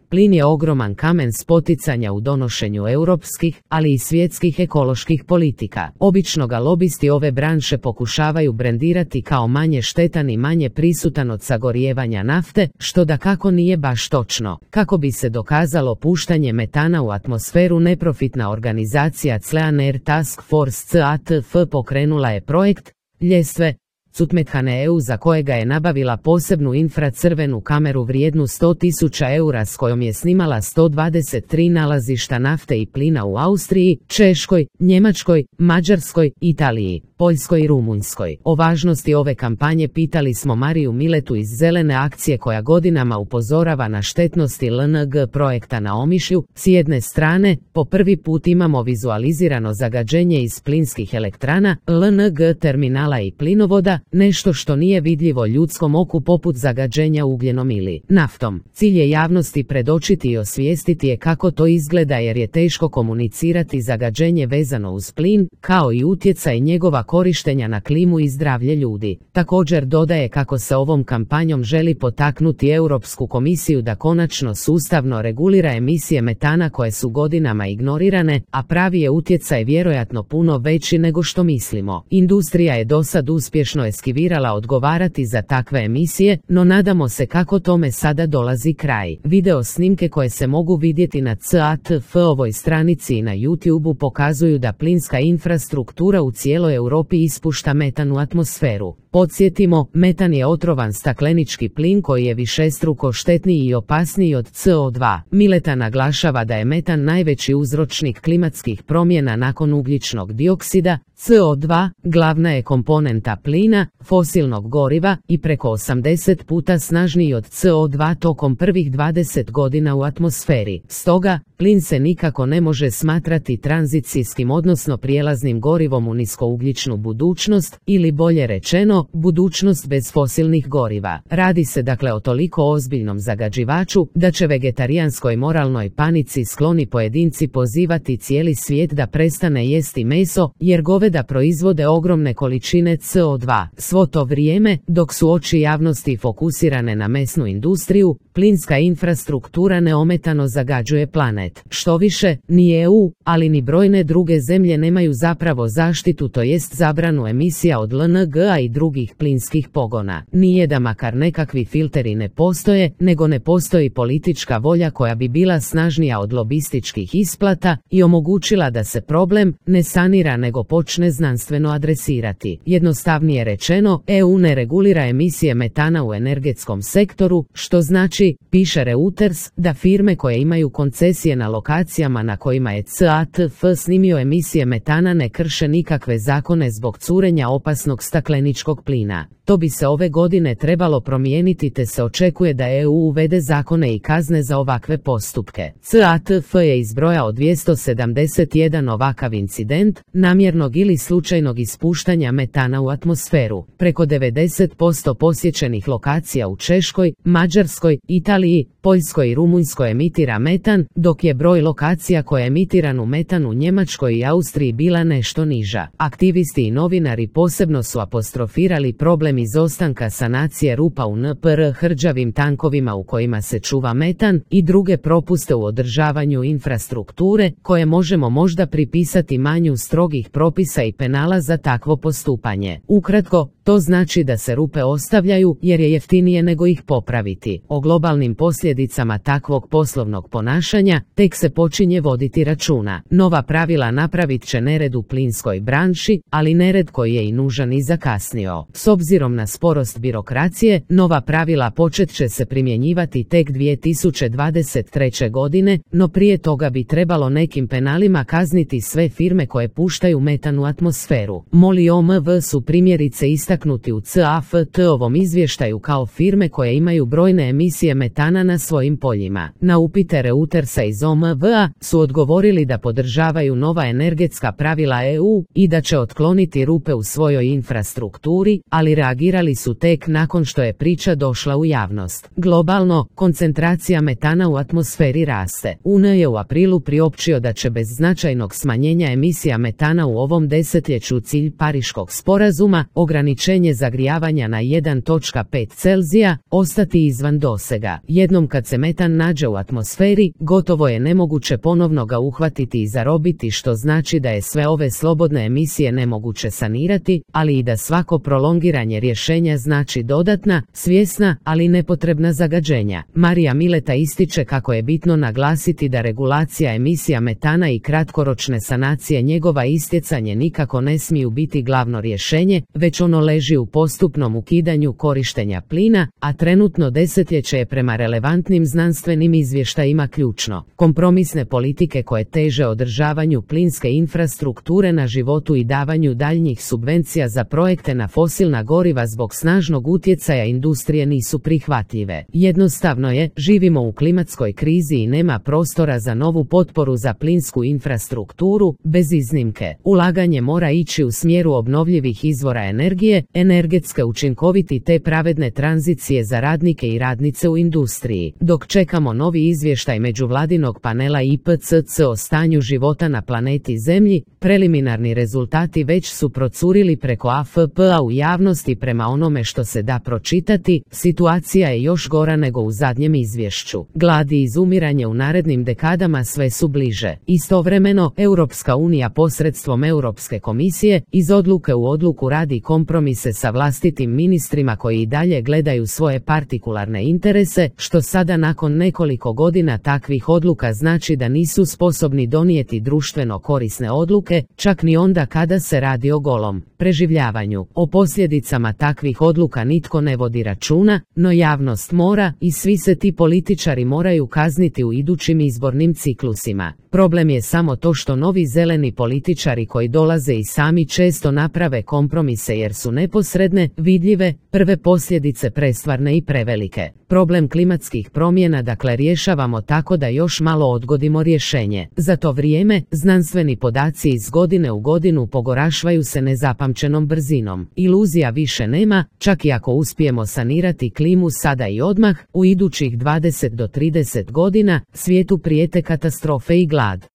plin je ogroman kamen spoticanja u donošenju europskih, ali i svjetskih ekoloških politika. Obično ga lobisti ove branše pokušavaju brendirati kao manje štetan i manje prisutan od sagorijevanja nafte, što dakako nije baš točno. Kako bi se dokazalo puštanje metana u atmosferu, neprofitna organizacija Clean Air Task Force CATF pokrenula je projekt ljestve Cutmethane EU, za kojega je nabavila posebnu infracrvenu kameru vrijednu 100.000 eura s kojom je snimala 123 nalazišta nafte i plina u Austriji, Češkoj, Njemačkoj, Mađarskoj, Italiji, Poljskoj i Rumunjskoj. O važnosti ove kampanje pitali smo Mariju Miletu iz Zelene akcije, koja godinama upozorava na štetnosti LNG projekta na Omišlju. S jedne strane, po prvi put imamo vizualizirano zagađenje iz plinskih elektrana, LNG terminala i plinovoda, nešto što nije vidljivo ljudskom oku poput zagađenja ugljenom ili naftom. Cilj je javnosti predočiti i osvijestiti je kako to izgleda, jer je teško komunicirati zagađenje vezano uz plin, kao i utjecaj njegova korištenja na klimu i zdravlje ljudi. Također dodaje kako se ovom kampanjom želi potaknuti Europsku komisiju da konačno sustavno regulira emisije metana koje su godinama ignorirane, a pravi je utjecaj vjerojatno puno veći nego što mislimo. Industrija je dosad uspješno eskivirala odgovarati za takve emisije, no nadamo se kako tome sada dolazi kraj. Video snimke koje se mogu vidjeti na CATF-ovoj stranici i na YouTubeu pokazuju da plinska infrastruktura u cijeloj Europi ispušta metan u atmosferu. Podsjetimo, metan je otrovan staklenički plin koji je višestruko štetniji i opasniji od CO2. Mileta naglašava da je metan najveći uzročnik klimatskih promjena nakon ugljičnog dioksida. CO2 glavna je komponenta plina, fosilnog goriva, i preko 80 puta snažniji od CO2 tokom prvih 20 godina u atmosferi. Stoga, plin se nikako ne može smatrati tranzicijskim, odnosno prijelaznim gorivom u niskougljičnu budućnost, ili bolje rečeno, budućnost bez fosilnih goriva. Radi se dakle o toliko ozbiljnom zagađivaču da će vegetarijanskoj moralnoj panici skloni pojedinci pozivati cijeli svijet da prestane jesti meso, jer goveda proizvode ogromne količine CO2. Svo to vrijeme, dok su oči javnosti fokusirane na mesnu industriju, plinska infrastruktura neometano zagađuje planet. Štoviše, ni EU, ali ni brojne druge zemlje nemaju zapravo zaštitu, to jest zabranu emisija od LNG-a i drugih plinskih pogona. Nije da makar nekakvi filteri ne postoje, nego ne postoji politička volja koja bi bila snažnija od lobističkih isplata i omogućila da se problem ne sanira nego počne znanstveno adresirati. Jednostavnije rečeno, EU ne regulira emisije metana u energetskom sektoru, što znači, piše Reuters, da firme koje imaju koncesije na lokacijama na kojima je CATF snimio emisije metana ne krše nikakve zakone zbog curenja opasnog stakleničkog plina. To bi se ove godine trebalo promijeniti, te se očekuje da EU uvede zakone i kazne za ovakve postupke. CATF je izbrojao 271 ovakav incident, namjernog ili slučajnog ispuštanja metana u atmosferu. Preko 90% posjećenih lokacija u Češkoj, Mađarskoj, Italiji, Poljskoj i Rumunjskoj emitira metan, dok je broj lokacija koje emitiranu metan u Njemačkoj i Austriji bila nešto niža. Aktivisti i novinari posebno su apostrofirali problem izostanka sanacije rupa u NPR hrđavim tankovima u kojima se čuva metan i druge propuste u održavanju infrastrukture, koje možemo možda pripisati manju strogih propisa i penala za takvo postupanje. Ukratko, to znači da se rupe ostavljaju jer je jeftinije nego ih popraviti. O globalnim posljedicama takvog poslovnog ponašanja tek se počinje voditi računa. Nova pravila napravit će nered u plinskoj branši, ali nered koji je i nužan i zakasnio. S obzirom na sporost birokracije, nova pravila počet će se primjenjivati tek 2023. godine, no prije toga bi trebalo nekim penalima kazniti sve firme koje puštaju metan u atmosferu. MOL i OMV su primjerice istaknuti u CAFT-ovom izvještaju kao firme koje imaju brojne emisije metana na svojim poljima. Na upite Reutersa iz OMV-a su odgovorili da podržavaju nova energetska pravila EU i da će otkloniti rupe u svojoj infrastrukturi, ali reagirali su tek nakon što je priča došla u javnost. Globalno, koncentracija metana u atmosferi raste. UN je u aprilu priopćio da će bez značajnog smanjenja emisija metana u ovom desetljeću cilj Pariškog sporazuma, ograničenje zagrijavanja na 1,5 Celzija, ostati izvan dosega. Jednom Jednom kad se metan nađe u atmosferi, gotovo je nemoguće ponovno ga uhvatiti i zarobiti, što znači da je sve ove slobodne emisije nemoguće sanirati, ali i da svako prolongiranje rješenja znači dodatna, svjesna, ali nepotrebna zagađenja. Marija Mileta ističe kako je bitno naglasiti da regulacija emisija metana i kratkoročne sanacije njegova istjecanje nikako ne smiju biti glavno rješenje, već ono leži u postupnom ukidanju korištenja plina, a trenutno desetljeće je prema relevantnim znanstvenim izvještajima ključno. Kompromisne politike koje teže održavanju plinske infrastrukture na životu i davanju daljnjih subvencija za projekte na fosilna goriva zbog snažnog utjecaja industrije nisu prihvatljive. Jednostavno je, živimo u klimatskoj krizi i nema prostora za novu potporu za plinsku infrastrukturu, bez iznimke. Ulaganje mora ići u smjeru obnovljivih izvora energije, energetske učinkoviti te pravedne tranzicije za radnike i radnice u industriji. Dok čekamo novi izvještaj međuvladinog panela IPCC o stanju života na planeti Zemlji, preliminarni rezultati već su procurili preko AFP-a u javnosti. Prema onome što se da pročitati, situacija je još gora nego u zadnjem izvješću. Glad i izumiranje u narednim dekadama sve su bliže. Istovremeno, Europska unija posredstvom Europske komisije iz odluke u odluku radi kompromise sa vlastitim ministrima koji i dalje gledaju svoje partikularne interese, što sada nakon nekoliko godina takvih odluka znači da nisu sposobni donijeti društveno korisne odluke, čak ni onda kada se radi o golom preživljavanju. O posljedicama takvih odluka nitko ne vodi računa, no javnost mora i svi se ti političari moraju kazniti u idućim izbornim ciklusima. Problem je samo to što novi zeleni političari koji dolaze i sami često naprave kompromise jer su neposredne, vidljive, prve posljedice prestvarne i prevelike. Problem klimatskih promjena dakle rješavamo tako da još malo odgodimo rješenje. Za to vrijeme, znanstveni podaci iz godine u godinu pogorašvaju se nezapamćenom brzinom. Iluzija više nema, čak i ako uspijemo sanirati klimu sada i odmah, u idućih 20 do 30 godina svijetu prijete katastrofe i glad.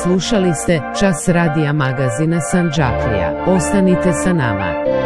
Slušali ste Čas radija magazina Sandžaklija. Ostanite sa nama.